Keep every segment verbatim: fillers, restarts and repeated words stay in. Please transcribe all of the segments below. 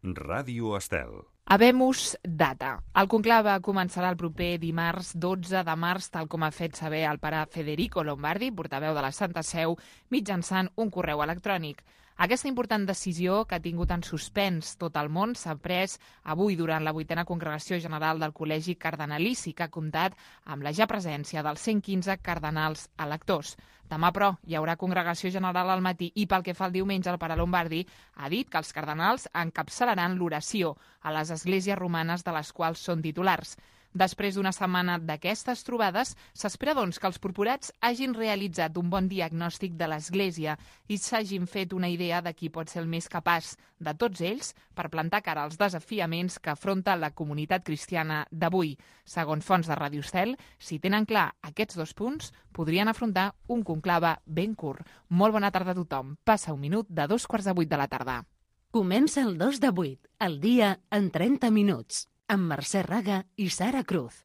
Ràdio Estel. Habemus data. El conclave començarà el proper dimarts dotze de març, tal com ha fet saber el pare Federico Lombardi, portaveu de la Santa Seu, mitjançant un correu electrònic. Aquesta important decisió, que ha tingut en suspens tot el món, s'ha pres avui durant la vuitena congregació general del Col·legi Cardenalici, que ha comptat amb la ja presència dels cent quinze cardenals electors. Demà, però, hi haurà congregació general al matí i, pel que fa al diumenge, el pare Lombardi ha dit que els cardenals encapçalaran l'oració a les esglésies romanes de les quals són titulars. Després d'una setmana d'aquestes trobades, s'espera, doncs, que els purpurats hagin realitzat un bon diagnòstic de l'Església i s'hagin fet una idea de qui pot ser el més capaç de tots ells per plantar cara als desafiaments que afronta la comunitat cristiana d'avui. Segons fonts de Ràdio Estel, si tenen clar aquests dos punts, podrien afrontar un conclave ben curt. Molt bona tarda a tothom. Passa un minut de dos quarts de vuit de la tarda. Comença el dos de vuit, el dia en trenta minuts, amb Mercè Raga i Sara Cruz.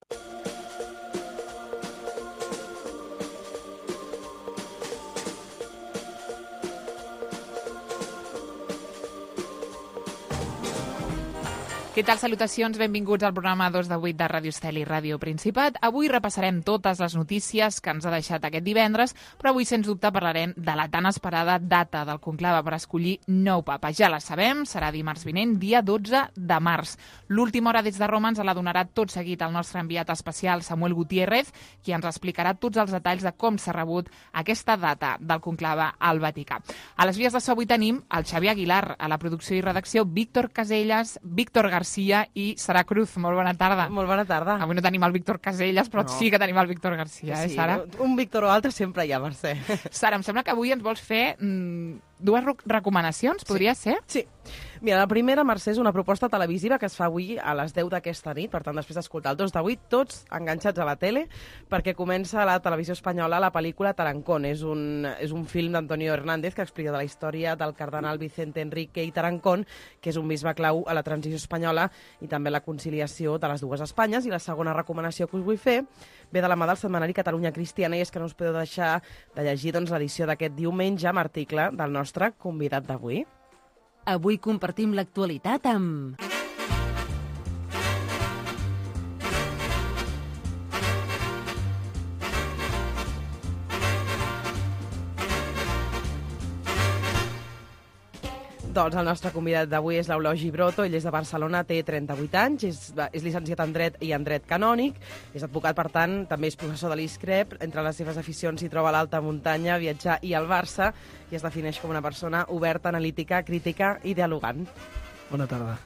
Què tal? Salutacions, benvinguts al programa dos de vuit de Ràdio Estel i Ràdio Principat. Avui repassarem totes les notícies que ens ha deixat aquest divendres, però avui, sens dubte, parlarem de la tan esperada data del conclave per escollir nou papa. Ja la sabem, serà dimarts vinent, dia dotze de març. L'última hora des de Roma ens la donarà tot seguit el nostre enviat especial Samuel Gutiérrez, qui ens explicarà tots els detalls de com s'ha rebut aquesta data del conclave al Vaticà. A les vies de so avui tenim el Xavier Aguilar, a la producció i redacció Víctor Caselles, Víctor García i Sara Cruz. Molt bona tarda. Molt bona tarda. Avui no tenim el Víctor Caselles, però no. Sí que tenim el Víctor García, eh, sí, Sara? Un Víctor o altre sempre hi ha, Mercè. Sara, em sembla que avui ens vols fer mmm, dues recomanacions, podria sí. ser? Sí. Mira, la primera, Mercè, és una proposta televisiva que es fa avui a les deu d'aquesta nit, per tant, després d'escoltar el dos de vuit, tots enganxats a la tele, perquè comença a la televisió espanyola la pel·lícula Tarancón. És un, és un film d'Antonio Hernández que explica de la història del cardenal Vicente Enrique i Tarancón, que és un bisbe clau a la transició espanyola i també la conciliació de les dues Espanyes. I la segona recomanació que us vull fer ve de la mà del setmanari Catalunya Cristiana, i és que no us podeu deixar de llegir doncs, l'edició d'aquest diumenge amb article del nostre convidat d'avui. Avui compartim l'actualitat amb... Doncs el nostre convidat d'avui és l'Eulogi Broto. Ell és de Barcelona, té trenta-vuit anys, és, és llicenciat en Dret i en Dret Canònic, és advocat, per tant, també és professor de l'ISCREP. Entre les seves aficions s'hi troba l'alta muntanya, viatjar i el Barça, i es defineix com una persona oberta, analítica, crítica i dialogant. Bona tarda.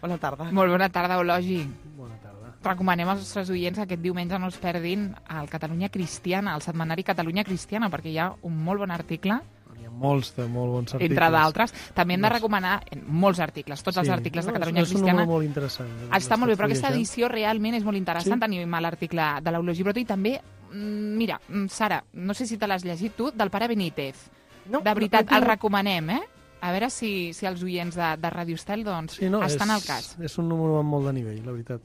Bona tarda. Molt bona tarda, Eulogi. Bona tarda. Recomanem als nostres oients que aquest diumenge no es perdin el Catalunya Cristiana, el setmanari Catalunya Cristiana, perquè hi ha un molt bon article, Hi ha molts de molt bons articles. entre d'altres. També hem de recomanar molts articles, tots els Sí. articles de No, Catalunya és un Cristiana. número molt interessant. Està molt bé, però aquesta Fullejant. edició realment és molt interessant. Sí? Tenim l'article de l'Eulogi Broto i també, mm, mira, mm, Sara, no sé si te l'has llegit tu, del pare Benítez. No, De veritat, no, no, el no. recomanem, eh? A veure si, si els oients de, de Ràdio Estel doncs, Sí, no, estan és, al cas. És un número amb molt de nivell, la veritat.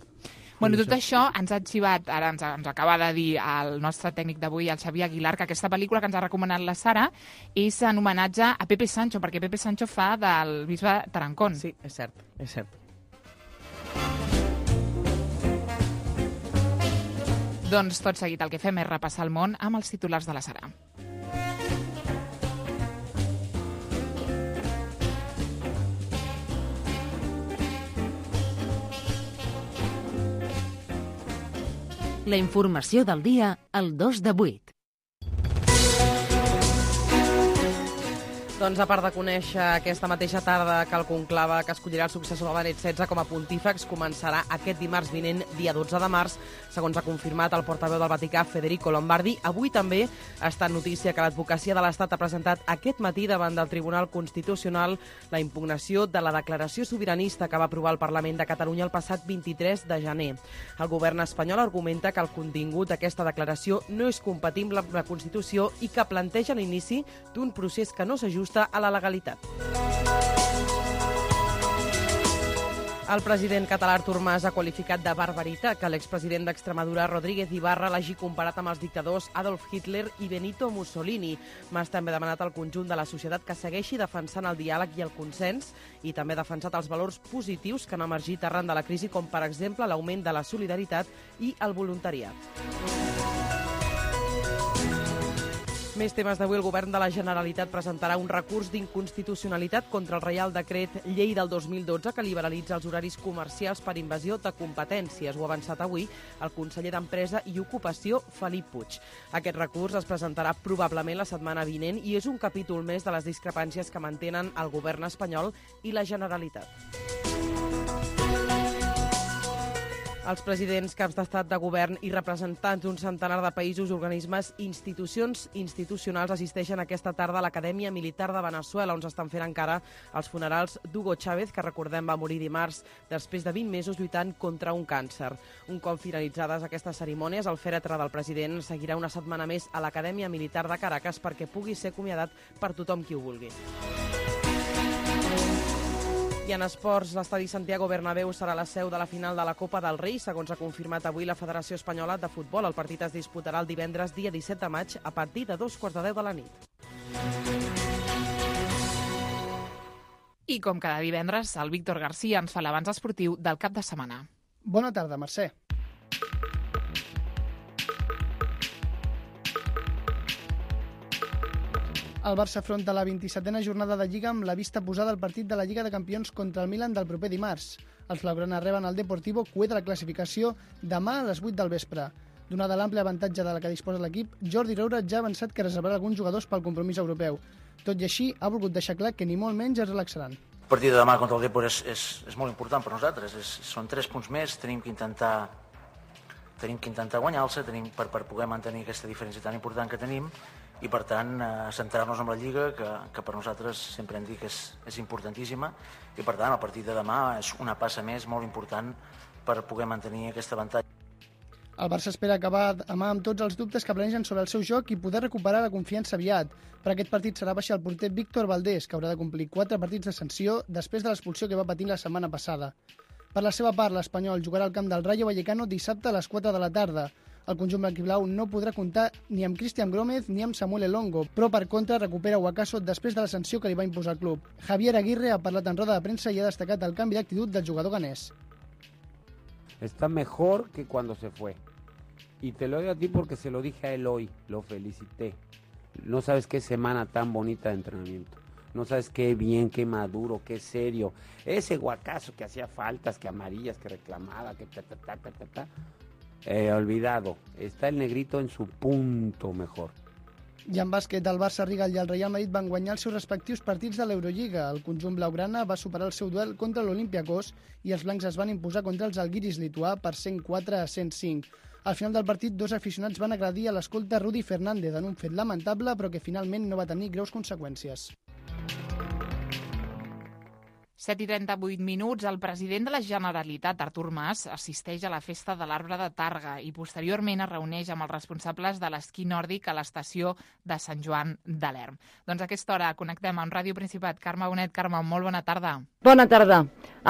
Bueno, tot això ens ha arxivat, ara ens, ens acaba de dir el nostre tècnic d'avui, el Xavier Aguilar, que aquesta pel·lícula que ens ha recomanat la Sara és en homenatge a Pepe Sancho, perquè Pepe Sancho fa del bisbe Tarancón. Sí, és cert, és cert. Doncs tot seguit el que fem és repassar el món amb els titulars de la Sara. La informació del dia al dos de vuit. Doncs a part de conèixer aquesta mateixa tarda que el conclave que escollirà el successor de Benet setze com a pontífex començarà aquest dimarts vinent, dia dotze de març, segons ha confirmat el portaveu del Vaticà, Federico Lombardi. Avui també ha estat notícia que l'advocacia de l'Estat ha presentat aquest matí davant del Tribunal Constitucional la impugnació de la declaració sobiranista que va aprovar el Parlament de Catalunya el passat vint-i-tres de gener. El govern espanyol argumenta que el contingut d'aquesta declaració no és compatible amb la Constitució i que planteja l'inici d'un procés que no s'ajusta a la legalitat. El president català Artur Mas ha qualificat de barbaritat que l'expresident d'Extremadura, Rodríguez Ibarra, l'hagi comparat amb els dictadors Adolf Hitler i Benito Mussolini. Mas també ha demanat al conjunt de la societat que segueixi defensant el diàleg i el consens i també ha defensat els valors positius que han emergit arran de la crisi, com per exemple l'augment de la solidaritat i el voluntariat. Més temes d'avui. El govern de la Generalitat presentarà un recurs d'inconstitucionalitat contra el Reial Decret Llei del dos mil dotze que liberalitza els horaris comercials per invasió de competències. Ho ha avançat avui el conseller d'Empresa i Ocupació, Felip Puig. Aquest recurs es presentarà probablement la setmana vinent i és un capítol més de les discrepàncies que mantenen el govern espanyol i la Generalitat. Els presidents, caps d'estat, de govern i representants d'un centenar de països, organismes i institucions institucionals assisteixen aquesta tarda a l'Acadèmia Militar de Veneçuela, on s'estan fent encara els funerals d'Hugo Chávez, que recordem va morir dimarts després de vint mesos lluitant contra un càncer. Un cop finalitzades aquestes cerimònies, el fèretre del president seguirà una setmana més a l'Acadèmia Militar de Caracas perquè pugui ser acomiadat per tothom qui ho vulgui. I en esports, l'estadi Santiago Bernabéu serà la seu de la final de la Copa del Rei, segons ha confirmat avui la Federació Espanyola de Futbol. El partit es disputarà el divendres, dia disset de maig, a partir de dos quarts de deu de la nit. I com cada divendres, el Víctor García ens fa l'avanç esportiu del cap de setmana. Bona tarda, Mercè. El Barça afronta la vint-i-setena jornada de Lliga amb la vista posada al partit de la Lliga de Campions contra el Milan del proper dimarts. Els blaugrana reben el Deportivo, cué de la classificació, demà a les vuit del vespre. Donada l'àmplia avantatge de la que disposa l'equip, Jordi Roura ja ha avançat que reservarà alguns jugadors pel compromís europeu. Tot i així, ha volgut deixar clar que ni molt menys es relaxaran. El partit de demà contra el Depor és, és, és molt important per nosaltres. És, són tres punts més, tenim que intentar, tenim que intentar guanyar-se tenim per, per poder mantenir aquesta diferència tan important que tenim i, per tant, eh, centrar-nos en la Lliga, que, que per nosaltres sempre hem dit que és, és importantíssima, i, per tant, el partit de demà és una passa més molt important per poder mantenir aquest avantatge. El Barça espera acabar demà amb tots els dubtes que planegen sobre el seu joc i poder recuperar la confiança aviat. Per aquest partit serà baixar el porter Víctor Valdés, que haurà de complir quatre partits de sanció després de l'expulsió que va patir la setmana passada. Per la seva part, l'Espanyol jugarà al camp del Rayo Vallecano dissabte a les quatre de la tarda. El conjunt blanquiblau no podrà comptar ni amb Cristian Gómez ni amb Samuel Elongo, però per contra recupera Huacaso després de la sanció que li va imposar el club. Javier Aguirre ha parlat en roda de premsa i ha destacat el canvi d'actitud del jugador ganès. Está mejor que cuando se fue. Y te lo digo a ti porque se lo dije a él hoy, lo felicité. No sabes qué semana tan bonita de entrenamiento. No sabes qué bien, qué maduro, qué serio. Ese Huacaso que hacía faltas, que amarillas, que reclamaba, que ta ta ta ta ta ta. Eh, olvidado. Está el negrito en su punto mejor. I en bàsquet, el Barça, Rigal i el Real Madrid van guanyar els seus respectius partits de l'Eurolliga. El conjunt blaugrana va superar el seu duel contra l'Olympiakos i els blancs es van imposar contra els Algiris lituà per cent quatre a cent cinc. Al final del partit, dos aficionats van agredir a l'escolta Rudy Fernández en un fet lamentable, però que finalment no va tenir greus conseqüències. set i trenta-vuit minuts, el president de la Generalitat, Artur Mas, assisteix a la festa de l'Arbre de Tàrrega i posteriorment es reuneix amb els responsables de l'esquí nòrdic a l'estació de Sant Joan de l'Erm. Doncs a aquesta hora connectem amb Ràdio Principat. Carme Bonet. Carme, molt bona tarda. Bona tarda.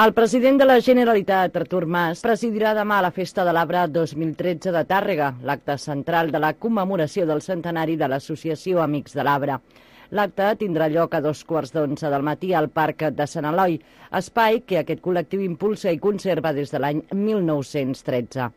El president de la Generalitat, Artur Mas, presidirà demà la Festa de l'Arbre dos mil tretze de Tàrrega, l'acte central de la commemoració del centenari de l'Associació Amics de l'Arbre. L'acte tindrà lloc a dos quarts d'onze del matí al Parc de Sant Eloi, espai que aquest col·lectiu impulsa i conserva des de l'any mil nou-cents tretze.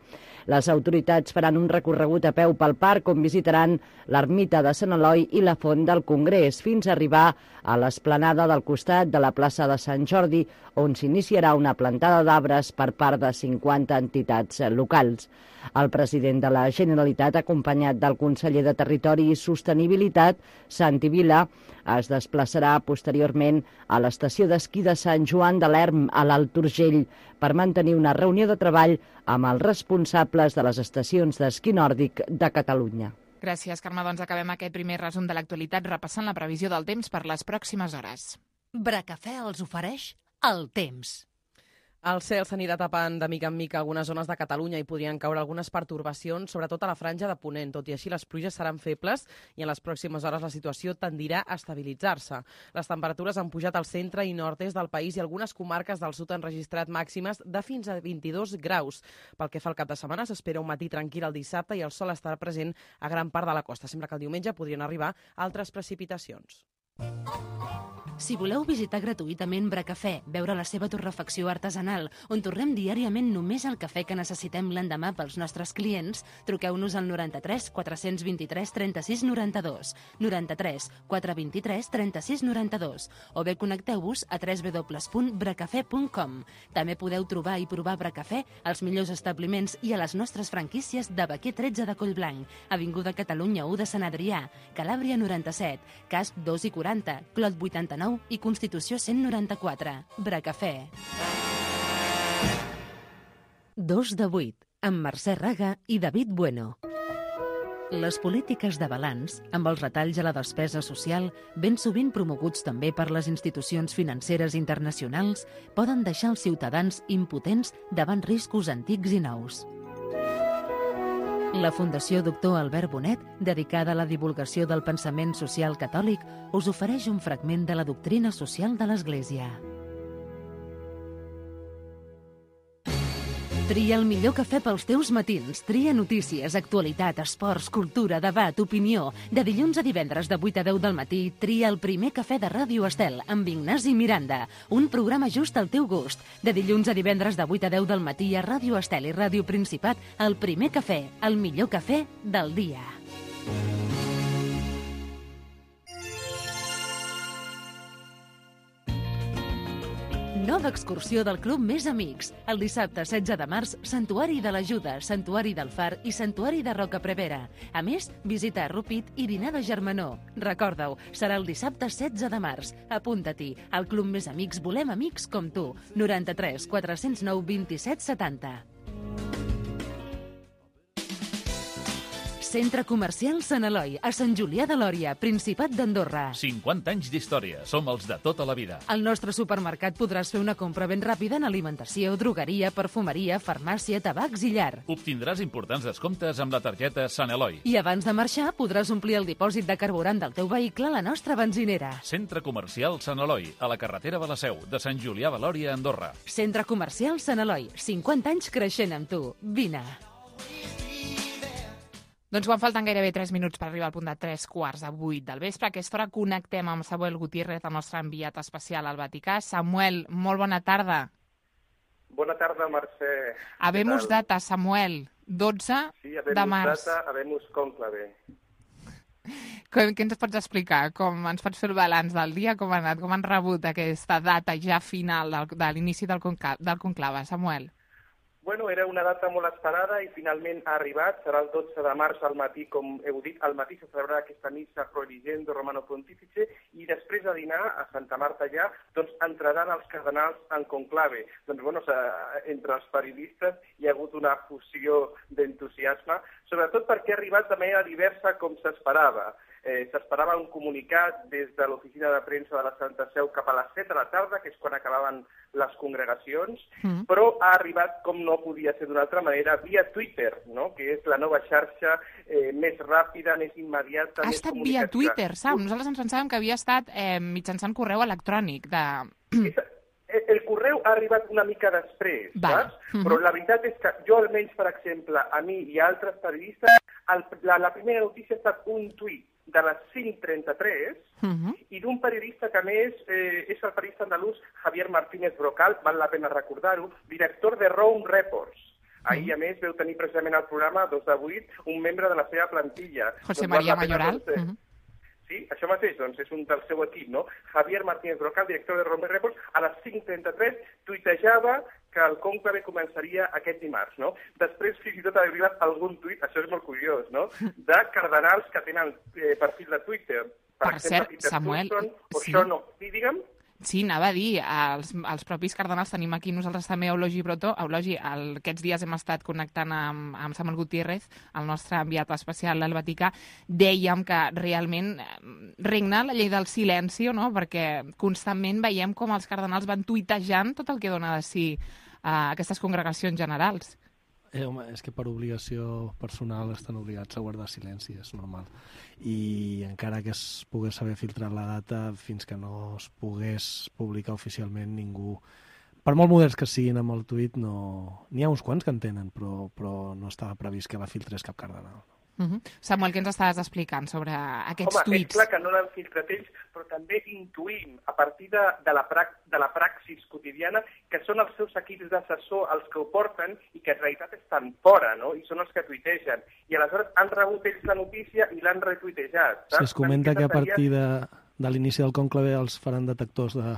Les autoritats faran un recorregut a peu pel parc on visitaran l'ermita de Sant Eloi i la Font del Congrés fins a arribar a l'esplanada del costat de la plaça de Sant Jordi, on s'iniciarà una plantada d'arbres per part de cinquanta entitats locals. El president de la Generalitat, acompanyat del conseller de Territori i Sostenibilitat, Santi Vila, es desplaçarà posteriorment a l'estació d'esquí de Sant Joan de l'Erm, a l'Alt Urgell, per mantenir una reunió de treball amb els responsables de les estacions d'esquí nòrdic de Catalunya. Gràcies, Carme. Doncs acabem aquest primer resum de l'actualitat repassant la previsió del temps per les pròximes hores. Bracafè els ofereix el temps. El cel s'anirà tapant de mica en mica algunes zones de Catalunya i podrien caure algunes pertorbacions, sobretot a la franja de Ponent. Tot i així, les pluges seran febles i en les pròximes hores la situació tendirà a estabilitzar-se. Les temperatures han pujat al centre i nord-est del país i algunes comarques del sud han registrat màximes de fins a vint-i-dos graus. Pel que fa al cap de setmana, s'espera un matí tranquil el dissabte i el sol estarà present a gran part de la costa. Sembla que el diumenge podrien arribar altres precipitacions. Si voleu visitar gratuïtament Bracafè, veure la seva torrefacció artesanal, on torrem diàriament només el cafè que necessitem l'endemà pels nostres clients, truqueu-nos al noranta-tres quatre vint tres trenta-sis noranta-dos, noranta-tres quatre vint tres trenta-sis noranta-dos, o bé connecteu-vos a w w w punt bracafè punt com. També podeu trobar i provar Bracafè als millors establiments i a les nostres franquícies de Baquer tretze de Collblanc, Avinguda Catalunya u de Sant Adrià, Calàbria noranta-set, Casp dos i quaranta, Clot vuitanta-nou i Constitució cent noranta-quatre. Bracafè. Dos de vuit, amb Mercè Raga i David Bueno. Les polítiques de balanç, amb els retalls a la despesa social, ben sovint promoguts també per les institucions financeres internacionals, poden deixar els ciutadans impotents davant riscos antics i nous. La Fundació Doctor Albert Bonet, dedicada a la divulgació del pensament social catòlic, us ofereix un fragment de la doctrina social de l'Església. Tria el millor cafè pels teus matins. Tria notícies, actualitat, esports, cultura, debat, opinió. De dilluns a divendres de vuit a deu del matí, tria el primer cafè de Ràdio Estel amb Ignasi Miranda. Un programa just al teu gust. De dilluns a divendres de vuit a deu del matí a Ràdio Estel i Ràdio Principat, el primer cafè, el millor cafè del dia. Nova excursió del Club Més Amics. El dissabte setze de març, Santuari de l'Ajuda, Santuari del Far i Santuari de Rocaprevera. A més, visita a Rupit i dinar de germanor. Recorda-ho, serà el dissabte setze de març. Apunta-t'hi. Al Club Més Amics volem amics com tu. noranta-tres quatre zero nou vint-i-set setanta. Centre Comercial Sant Eloi, a Sant Julià de Lòria, Principat d'Andorra. cinquanta anys d'història. Som els de tota la vida. Al nostre supermercat podràs fer una compra ben ràpida en alimentació, drogueria, perfumeria, farmàcia, tabacs i llar. Obtindràs importants descomptes amb la targeta Sant Eloi. I abans de marxar podràs omplir el dipòsit de carburant del teu vehicle a la nostra benzinera. Centre Comercial Sant Eloi, a la carretera de la Seu, de Sant Julià de Lòria, Andorra. Centre Comercial Sant Eloi, cinquanta anys creixent amb tu. Vine. Doncs quan falten gairebé tres minuts per arribar al punt de tres quarts de vuit del vespre, a aquesta hora connectem amb Samuel Gutiérrez, el nostre enviat especial al Vaticà. Samuel, molt bona tarda. Bona tarda, Mercè. Habemus data, Samuel, dotze sí, de març. Sí, data, habemus conclave. Què ens pots explicar? Com ens pots fer el balanç del dia? Com ha anat? Com han rebut aquesta data ja final del, de l'inici del, conclave, del conclave, Samuel? Bueno, era una data molt esperada i finalment ha arribat. Serà el dotze de març al matí, com heu dit. Al matí se celebrarà aquesta missa Pro Eligendo Romano Pontifice i després de dinar a Santa Marta ja, doncs entraran els cardenals en conclave. Doncs, bueno, entre els periodistes hi ha hagut una fusió d'entusiasme, sobretot perquè ha arribat de manera diversa com s'esperava. Eh, S'esperava un comunicat des de l'oficina de premsa de la Santa Seu cap a les set de la tarda, que és quan acabaven les congregacions, mm. però ha arribat, com no podia ser d'una altra manera, via Twitter, no? Que és la nova xarxa eh, més ràpida, més immediata, ha més estat via Twitter, saps? Nosaltres ens pensàvem que havia estat eh, mitjançant correu electrònic. De... El correu ha arribat una mica després, vale. saps? Mm-hmm. Però la veritat és que jo, almenys, per exemple, a mi i a altres periodistes, el, la, la primera notícia ha estat un tuit de les cinc trenta-tres uh-huh. i d'un periodista que, a més, eh, és el periodista andalús Javier Martínez Brocal, val la pena recordar-ho, director de Rome Reports. Ahir, uh-huh. a més, veu tenir precisament al programa dos de vuit un membre de la seva plantilla. José doncs María Mayoral. Doncs, eh, uh-huh. Sí, això mateix, doncs, és un del seu equip, no? Javier Martínez Brocal, director de Rome Reports, a les cinc trenta-tres tuitejava que el conclave començaria aquest dimarts, no? Després, fins i tot, ha arribat algun tuit, això és molt curiós, no?, de cardenals que tenen eh, perfil de Twitter. Per, per exemple, cert, Samuel... Thurston, o sí. això no. Sí, digue'm. Sí, anava a dir, els, els propis cardenals tenim aquí nosaltres també Eulogi Brotó. Eulogi, el, aquests dies hem estat connectant amb, amb Samuel Gutiérrez, el nostre enviat especial al Vaticà. Dèiem que realment regna la llei del silenci, no?, perquè constantment veiem com els cardenals van tuitejant tot el que dona de si aquestes congregacions generals. Eh, home, és que per obligació personal estan obligats a guardar silenci, és normal. I encara que es pogués haver filtrat la data, fins que no es pogués publicar oficialment, ningú... Per molt moderns que siguin amb el tuit, no... n'hi ha uns quants que en tenen, però, però no estava previst que la filtrés cap cardenal. Uh -huh. Samuel, què ens estaves explicant sobre aquests Home, tuits? És clar que no l'han filtrat ells, però també intuïm, a partir de, de, la, pra de la praxis quotidiana, que són els seus equips d'assessor els que ho porten i que en realitat estan fora, no? I són els que tuitegen. I aleshores han rebut ells la notícia i l'han retuitejat. Si es comenta que a partir de, de l'inici del conclave els faran detectors de...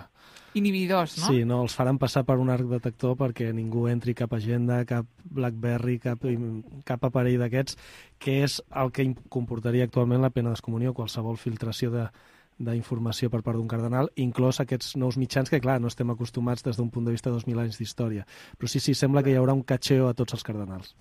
Inhibidors, no? Sí, no, els faran passar per un arc detector perquè ningú entri cap agenda, cap BlackBerry, cap, cap aparell d'aquests, que és el que comportaria actualment la pena d'excomunió, qualsevol filtració de d'informació per part d'un cardenal, inclòs aquests nous mitjans que, clar, no estem acostumats des d'un punt de vista de dos mil anys d'història. Però sí, sí, sembla que hi haurà un catxeo a tots els cardenals.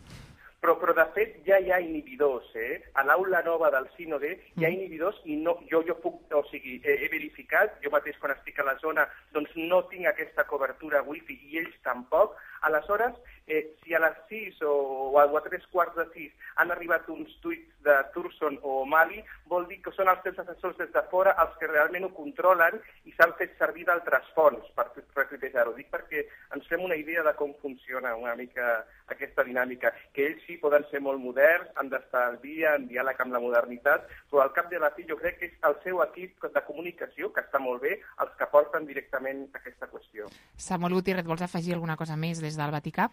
Però, però de fet ja hi ha inhibidors, eh? A l'aula nova del sínode hi ha inhibidors i no, jo, jo puc, o sigui, he, he verificat, jo mateix quan estic a la zona, doncs no tinc aquesta cobertura wifi i ells tampoc. Aleshores, eh, si a les sis o, o a tres quarts de sis han arribat uns tuits de Turson o Mali, vol dir que són els seus assessors des de fora els que realment ho controlen i s'han fet servir d'altres fonts per retuitejar-ho. Dic perquè ens fem una idea de com funciona una mica aquesta dinàmica, que ells sí poden ser molt moderns, han d'estar al dia, en diàleg amb la modernitat, però al cap de la fi jo crec que és el seu equip de comunicació, que està molt bé, els que porten directament aquesta qüestió. Samuel Gutiérrez, vols afegir alguna cosa més des del Vaticà?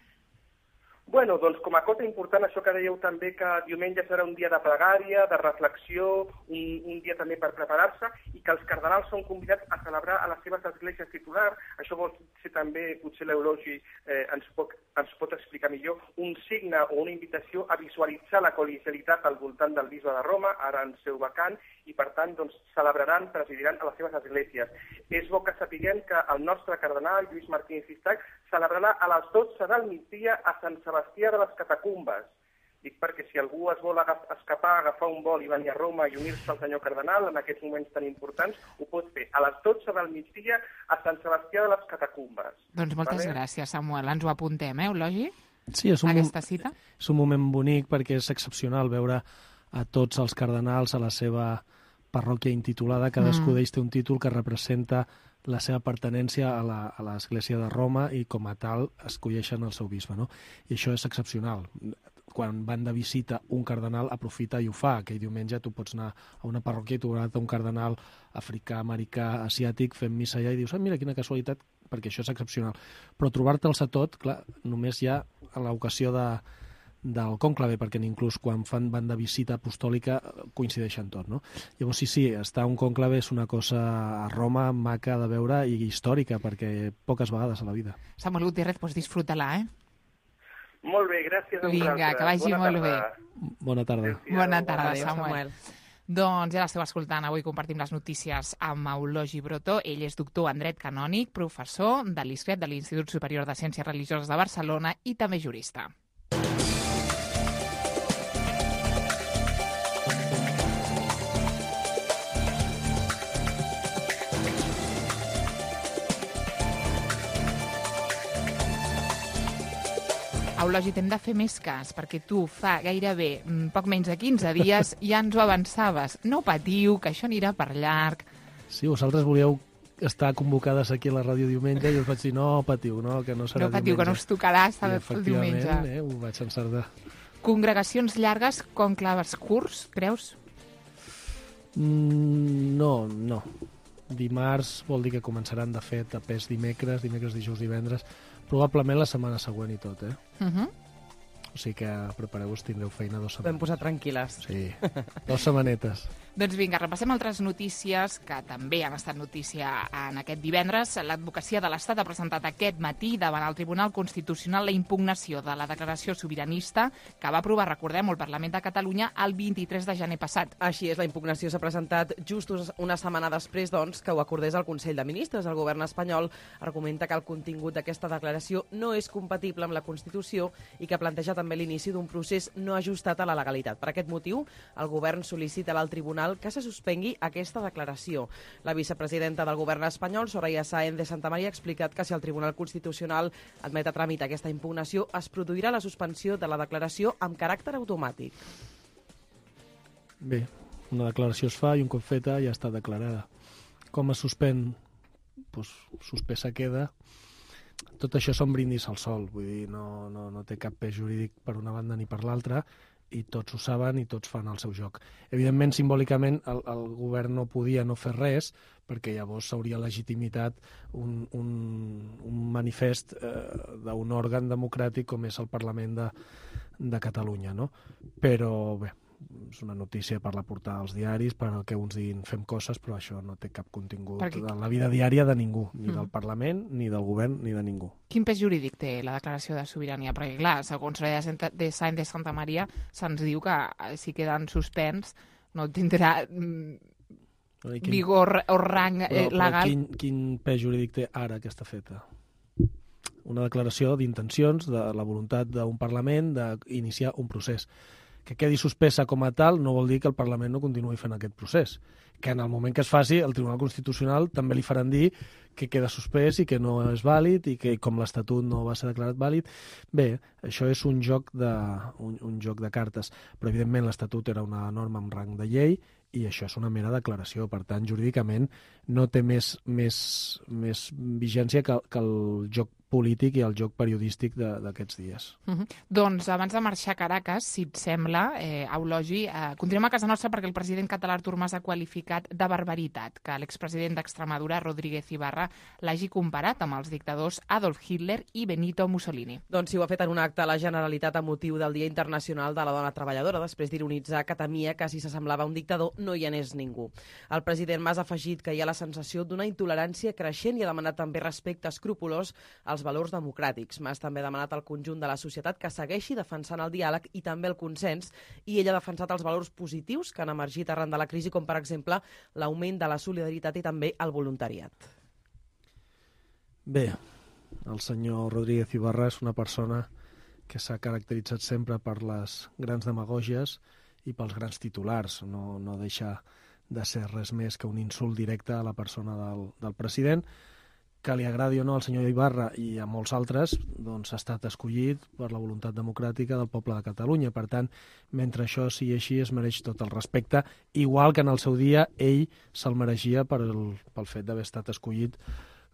Bueno, doncs com a cosa important, això que dèieu també, que diumenge serà un dia de pregària, de reflexió, un, un dia també per preparar-se, i que els cardenals són convidats a celebrar a les seves esglésies titulars. Això vol ser també, potser l'Eulogi eh, ens, pot, ens pot explicar millor, un signe o una invitació a visualitzar la col·legialitat al voltant del bisbe de Roma, ara en seu vacant, i per tant doncs, celebraran, presidiran a les seves esglésies. És bo que sapiguem que el nostre cardenal, Lluís Martínez Istach, celebrarà a les dotze del migdia a Sant Sebastià de les Catacumbes. Dic perquè si algú es vol escapar, agafar un vol i venir a Roma i unir-se al senyor cardenal en aquests moments tan importants, ho pot fer a les dotze del migdia a Sant Sebastià de les Catacumbes. Doncs moltes vale? gràcies, Samuel. Ens ho apuntem, eh, Eulogi? Sí, és un, aquesta cita? És un moment bonic perquè és excepcional veure a tots els cardenals a la seva parròquia intitulada. Cadascú d'ells té un títol que representa la seva pertinença a l'Església de Roma i com a tal escolleixen el seu bisbe, no? I això és excepcional. Quan van de visita un cardenal aprofita i ho fa. Aquell diumenge tu pots anar a una parròquia i trobar un cardenal africà, americà, asiàtic fent missa allà i dius, ah, mira quina casualitat, perquè això és excepcional. Però trobar-te'ls a tot, clar, només hi ha a l'ocasió de del conclave, perquè inclús quan fan van de visita apostòlica coincideixen tot, no? Llavors sí, sí, estar un conclave és una cosa a Roma maca de veure i històrica, perquè poques vegades a la vida. Samuel Gutiérrez, doncs disfruta-la, eh? Molt bé, gràcies a vosaltres. Vinga, que vagi molt bé. Bona tarda. Bona tarda, Samuel. Doncs ja l'esteu escoltant, avui compartim les notícies amb Eulogi Brotó. Ell és doctor en dret canònic, professor de l'I S C R E T, de l'Institut Superior de Ciències Religioses de Barcelona i també jurista. Eulogi, t'hem de fer més cas, perquè tu fa gairebé poc menys de quinze dies ja ens ho avançaves. No patiu, que això anirà per llarg. Sí, vosaltres volíeu estar convocades aquí a la ràdio diumenge i us vaig dir, no patiu, no, que no serà no patiu, diumenge. Que no us tocarà estar I, el diumenge. efectivament, eh, ho vaig encertar. Congregacions llargues, conclaves curts, creus? Mm, no, no. Dimarts vol dir que començaran, de fet, a pes dimecres, dimecres, dijous, divendres, probablement la setmana següent i tot, eh? Uh -huh. O sigui que prepareu-vos, tindreu feina dos setmanes. Vam posar tranquil·les. Sí, dos setmanetes. Doncs vinga, repassem altres notícies que també han estat notícia en aquest divendres. L'advocacia de l'Estat ha presentat aquest matí davant el Tribunal Constitucional la impugnació de la declaració sobiranista que va aprovar, recordem, el Parlament de Catalunya el vint-i-tres de gener passat. Així és, la impugnació s'ha presentat just una setmana després, doncs, que ho acordés el Consell de Ministres. El govern espanyol argumenta que el contingut d'aquesta declaració no és compatible amb la Constitució i que planteja també l'inici d'un procés no ajustat a la legalitat. Per aquest motiu, el govern sol·licita al tribunal que se suspengui aquesta declaració. La vicepresidenta del govern espanyol, Soraya Sáenz de Santamaría, ha explicat que si el Tribunal Constitucional admet a tràmit aquesta impugnació, es produirà la suspensió de la declaració amb caràcter automàtic. Bé, una declaració es fa i un cop feta ja està declarada. Com es suspèn? Pues, suspesa queda. Tot això són brindis al sol, vull dir, no, no, no té cap pes jurídic per una banda ni per l'altra, i tots ho saben i tots fan el seu joc. Evidentment, simbòlicament, el, el govern no podia no fer res, perquè llavors s'hauria legitimitat un, un, un manifest eh, d'un òrgan democràtic com és el Parlament de, de Catalunya, no? Però bé, és una notícia per la portar als diaris, per al que uns diguin fem coses, però això no té cap contingut Perquè... en la vida diària de ningú, ni mm. del Parlament, ni del govern, ni de ningú. Quin pes jurídic té la declaració de sobirania? Perquè, clar, segons la de Sáenz de Santamaría, se'ns diu que si queden suspens no tindrà mm, quin... vigor o rang eh, però, legal. Però quin, quin pes jurídic té ara aquesta feta? Una declaració d'intencions, de la voluntat d'un Parlament d'iniciar un procés. Que quedi suspesa com a tal no vol dir que el Parlament no continuï fent aquest procés. Que en el moment que es faci, el Tribunal Constitucional també li faran dir que queda suspès i que no és vàlid i que com l'Estatut no va ser declarat vàlid. Bé, això és un joc de, un, un joc de cartes, però evidentment l'Estatut era una norma amb rang de llei i això és una mera declaració. Per tant, jurídicament no té més, més, més vigència que, que el joc polític i el joc periodístic d'aquests dies. Uh -huh. Doncs abans de marxar a Caracas, si et sembla, eh, Eulogi, eh, continuem a casa nostra perquè el president català Artur Mas ha qualificat de barbaritat que l'expresident d'Extremadura, Rodríguez Ibarra, l'hagi comparat amb els dictadors Adolf Hitler i Benito Mussolini. Doncs sí, ho ha fet en un acte a la Generalitat a motiu del Dia Internacional de la Dona Treballadora, després d'ironitzar que temia que si s'assemblava a un dictador no hi anés ningú. El president Mas ha afegit que hi ha la sensació d'una intolerància creixent i ha demanat també respecte escrupolós als valors democràtics. Mas també ha demanat al conjunt de la societat que segueixi defensant el diàleg i també el consens, i ell ha defensat els valors positius que han emergit arran de la crisi, com per exemple l'augment de la solidaritat i també el voluntariat. Bé, el senyor Rodríguez Ibarra és una persona que s'ha caracteritzat sempre per les grans demagògies i pels grans titulars. No, no deixa de ser res més que un insult directe a la persona del, del president, que li agradi o no al senyor Ibarra i a molts altres, doncs ha estat escollit per la voluntat democràtica del poble de Catalunya. Per tant, mentre això sigui així, es mereix tot el respecte, igual que en el seu dia ell se'l mereixia per el, pel fet d'haver estat escollit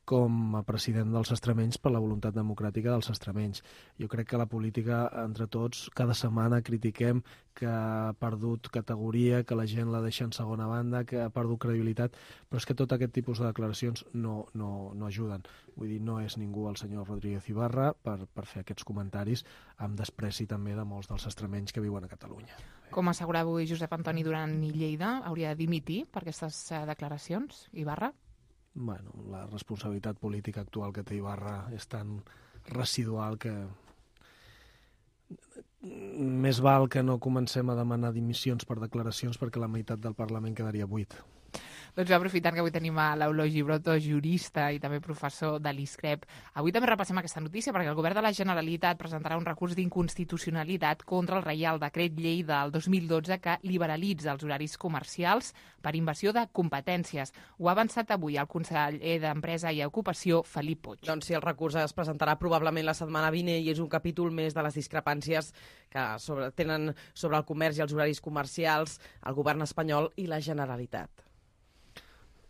com a president dels extremenys per la voluntat democràtica dels extremenys. Jo crec que la política, entre tots, cada setmana critiquem que ha perdut categoria, que la gent la deixa en segona banda, que ha perdut credibilitat, però és que tot aquest tipus de declaracions no, no, no ajuden. Vull dir, no és ningú el senyor Rodríguez Ibarra per, per fer aquests comentaris amb despreci també de molts dels extremenys que viuen a Catalunya. Com assegurava avui Josep Antoni Duran i Lleida, hauria de dimitir per aquestes declaracions, Ibarra? Bueno, la responsabilitat política actual que té Ibarra és tan residual que més val que no comencem a demanar dimissions per declaracions perquè la meitat del Parlament quedaria buit. Doncs aprofitant que avui tenim a l'Eulogi Broto, jurista i també professor de l'ISCREP. Avui també repassem aquesta notícia perquè el govern de la Generalitat presentarà un recurs d'inconstitucionalitat contra el Reial Decret Llei del dos mil dotze que liberalitza els horaris comercials per invasió de competències. Ho ha avançat avui el conseller d'Empresa i Ocupació, Felip Puig. Doncs sí, el recurs es presentarà probablement la setmana vinent i és un capítol més de les discrepàncies que sobre, tenen sobre el comerç i els horaris comercials el govern espanyol i la Generalitat.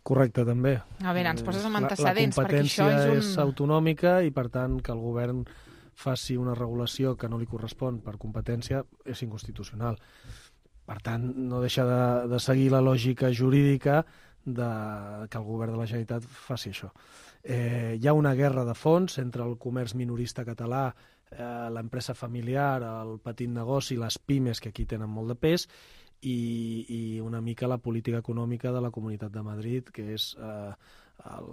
Correcte, també. A veure, ens poses amb antecedents, la, la perquè això és un... competència és autonòmica i, per tant, que el govern faci una regulació que no li correspon per competència és inconstitucional. Per tant, no deixa de, de seguir la lògica jurídica de que el govern de la Generalitat faci això. Eh, hi ha una guerra de fons entre el comerç minorista català, eh, l'empresa familiar, el petit negoci, les pimes, que aquí tenen molt de pes, i, i una mica la política econòmica de la Comunitat de Madrid, que és eh, el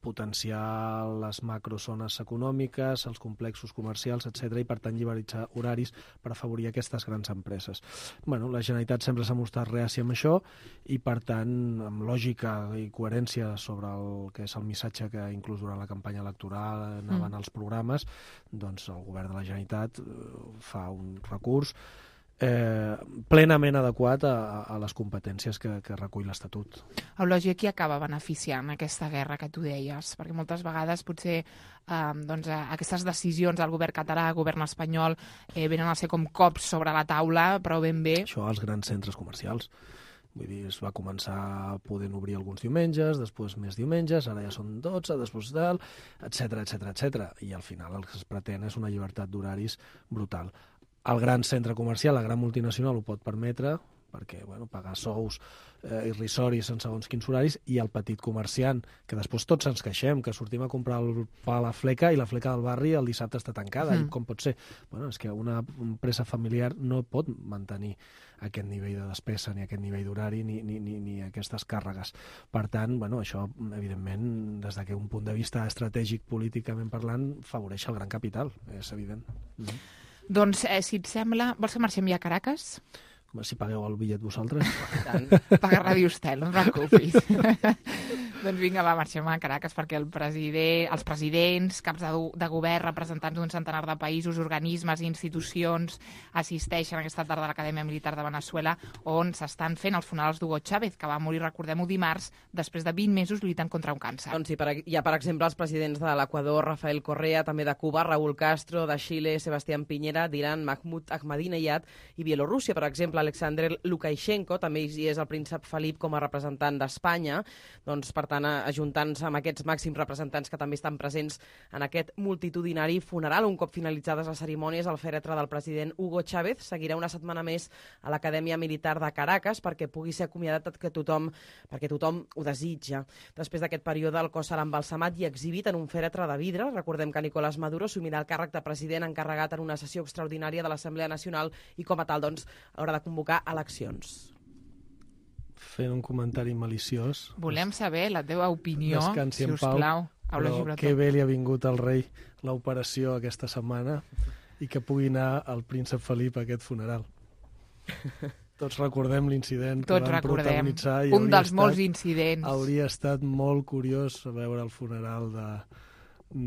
potenciar les macrozones econòmiques, els complexos comercials, etcètera, i per tant liberalitzar horaris per afavorir aquestes grans empreses. Bueno, la Generalitat sempre s'ha mostrat reàcia amb això i per tant, amb lògica i coherència sobre el que és el missatge que inclús durant la campanya electoral anaven mm. als programes, doncs el govern de la Generalitat fa un recurs Eh, plenament adequat a, a les competències que, que recull l'Estatut. Eulogi, qui acaba beneficiant aquesta guerra que tu deies? Perquè moltes vegades potser eh, doncs, aquestes decisions del govern català, el govern espanyol, eh, venen a ser com cops sobre la taula, però ben bé... Això als grans centres comercials. Vull dir, es va començar podent obrir alguns diumenges, després més diumenges, ara ja són dotze, després tal, etcètera, etcètera, etcètera. I al final el que es pretén és una llibertat d'horaris brutal. El gran centre comercial, la gran multinacional ho pot permetre, perquè bueno, pagar sous eh, irrisoris en segons quins horaris, i el petit comerciant, que després tots ens queixem, que sortim a comprar el pa a la fleca i la fleca del barri el dissabte està tancada. Mm. I com pot ser? Bueno, és que una empresa familiar no pot mantenir aquest nivell de despesa, ni aquest nivell d'horari, ni, ni, ni, ni aquestes càrregues. Per tant, bueno, això, evidentment, des d'un punt de vista estratègic, políticament parlant, favoreix el gran capital, és evident. Mm. Doncs, eh, si et sembla, vols que marxem ja a Caracas? Si pagueu el bitllet vosaltres. Paga Ràdio Estel, no et preocupis. Doncs vinga, va, marxem a Caracas perquè el president, els presidents, caps de, de govern, representants d'un centenar de països, organismes i institucions assisteixen aquesta tarda a l'Acadèmia Militar de Veneçuela, on s'estan fent els funerals d'Hugo Chávez, que va morir, recordem-ho, dimarts, després de vint mesos lluitant contra un càncer. Doncs sí, per, hi ha, per exemple, els presidents de l'Equador, Rafael Correa, també de Cuba, Raúl Castro, de Xile, Sebastián Piñera, d'Iran, Mahmoud Ahmadinejad, i Bielorússia, per exemple, Alexander Lukashenko, també hi és el príncep Felip com a representant d'Espanya, doncs, per tant, ajuntant-se amb aquests màxims representants que també estan presents en aquest multitudinari funeral. Un cop finalitzades les cerimònies, el fèretre del president Hugo Chávez seguirà una setmana més a l'Acadèmia Militar de Caracas perquè pugui ser acomiadat que tothom, perquè tothom ho desitja. Després d'aquest període, el cos serà embalsamat i exhibit en un fèretre de vidre. Recordem que Nicolás Maduro assumirà el càrrec de president encarregat en una sessió extraordinària de l'Assemblea Nacional i, com a tal, doncs, haurà de convocar eleccions. Fent un comentari maliciós. Volem saber la teva opinió, si us plau. Però que bé li ha vingut al rei l'operació aquesta setmana i que pugui anar el príncep Felip a aquest funeral. Tots recordem l'incident que van protagonitzar. Tots recordem, un dels molts incidents. Hauria estat molt curiós veure el funeral de,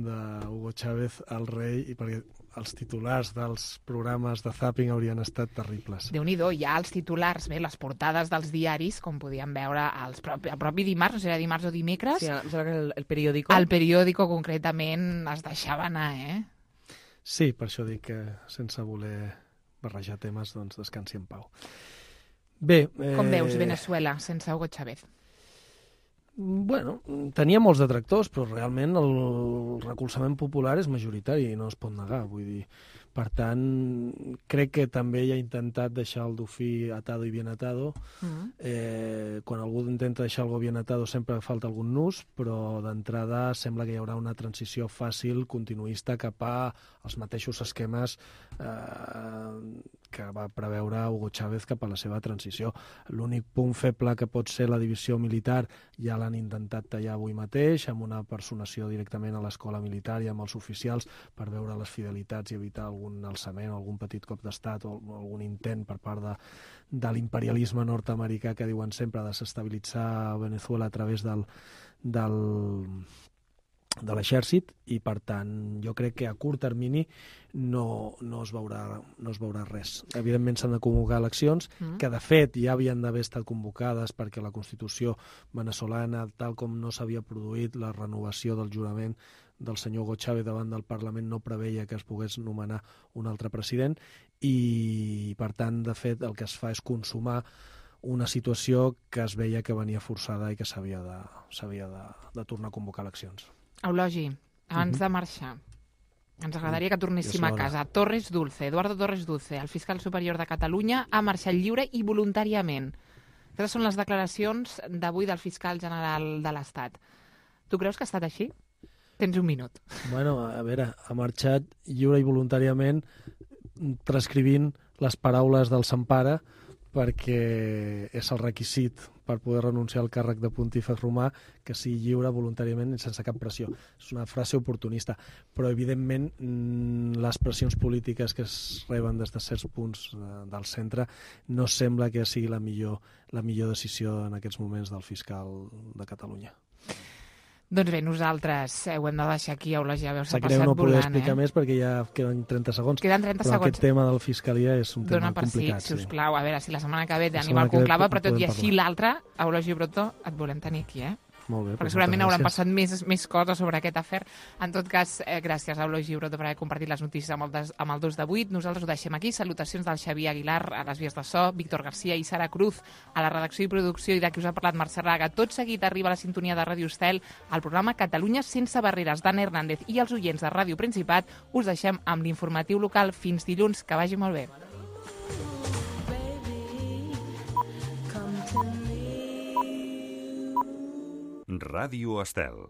de Hugo Chávez al rei, i perquè els titulars dels programes de Zapping haurien estat terribles. Déu-n'hi-do, ja els titulars, bé, les portades dels diaris, com podíem veure els propi, el propi dimarts, no sé si era dimarts o dimecres. Sí, em sembla que el, el periòdico. El periòdico, concretament, es deixava anar, eh? Sí, per això dic que sense voler barrejar temes, doncs descansi en pau. Bé... Eh... Com veus Veneçuela sense Hugo Chávez? Bueno, tenia molts detractors, però realment el recolzament popular és majoritari i no es pot negar. Vull dir, per tant, crec que també ell ha intentat deixar el dofí atado i bien atado. Mm. Eh, quan algú intenta deixar algo bien atado sempre falta algun nus, però d'entrada sembla que hi haurà una transició fàcil, continuista, cap als mateixos esquemes eh, que va preveure Hugo Chávez cap a la seva transició. L'únic punt feble que pot ser la divisió militar ja l'han intentat tallar avui mateix, amb una personació directament a l'escola militar i amb els oficials per veure les fidelitats i evitar algun alçament o algun petit cop d'estat o algun intent per part de, de l'imperialisme nord-americà que diuen sempre desestabilitzar Venezuela a través del, del, de l'exèrcit, i per tant jo crec que a curt termini no, no, es veurà, no es veurà res. Evidentment s'han de convocar eleccions, mm. que de fet ja havien d'haver estat convocades perquè la Constitució venezolana, tal com no s'havia produït la renovació del jurament del senyor Hugo Chávez davant del Parlament, no preveia que es pogués nomenar un altre president, i per tant, de fet, el que es fa és consumar una situació que es veia que venia forçada i que s'havia de, s'havia de, de tornar a convocar eleccions. Eulogi, abans uh-huh. de marxar, ens agradaria que tornéssim a casa. Torres Dulce, Eduardo Torres Dulce, el fiscal superior de Catalunya, ha marxat lliure i voluntàriament. Aquestes són les declaracions d'avui del fiscal general de l'Estat. Tu creus que ha estat així? Tens un minut. Bueno, a veure, ha marxat lliure i voluntàriament transcrivint les paraules del Sant Pare, perquè és el requisit per poder renunciar al càrrec de pontífex romà que sigui lliure voluntàriament i sense cap pressió. És una frase oportunista, però evidentment les pressions polítiques que es reben des de certs punts del centre no sembla que sigui la millor, la millor decisió en aquests moments del fiscal de Catalunya. Doncs bé, nosaltres ho hem de deixar aquí, Eulogi, ja veus, s'ha Sap greu passat no poder volant, explicar eh? més perquè ja queden trenta segons. Queden trenta però segons. Aquest tema de la Fiscalia és un Dona tema per complicat. Sí, si us plau, a veure, si la setmana que ve La tenim setmana el conclave, que ve però tot i podem així parlar. l'altre, Eulogi Brotó, et volem tenir aquí, eh? Molt bé, perquè doncs segurament moltes hauran gràcies. passat més, més coses sobre aquest afer. En tot cas, eh, gràcies a Eulogi Brotó per haver compartit les notícies amb el, des, amb el dos de vuit. Nosaltres ho deixem aquí. Salutacions del Xavier Aguilar a les vies de so, Víctor Garcia i Sara Cruz a la redacció i producció, i de qui us ha parlat Mercè Raga. Tot seguit arriba a la sintonia de Ràdio Estel al programa Catalunya sense barreres d'Anna Hernández, i els oients de Ràdio Principat us deixem amb l'informatiu local. Fins dilluns, que vagi molt bé. Ràdio Estel.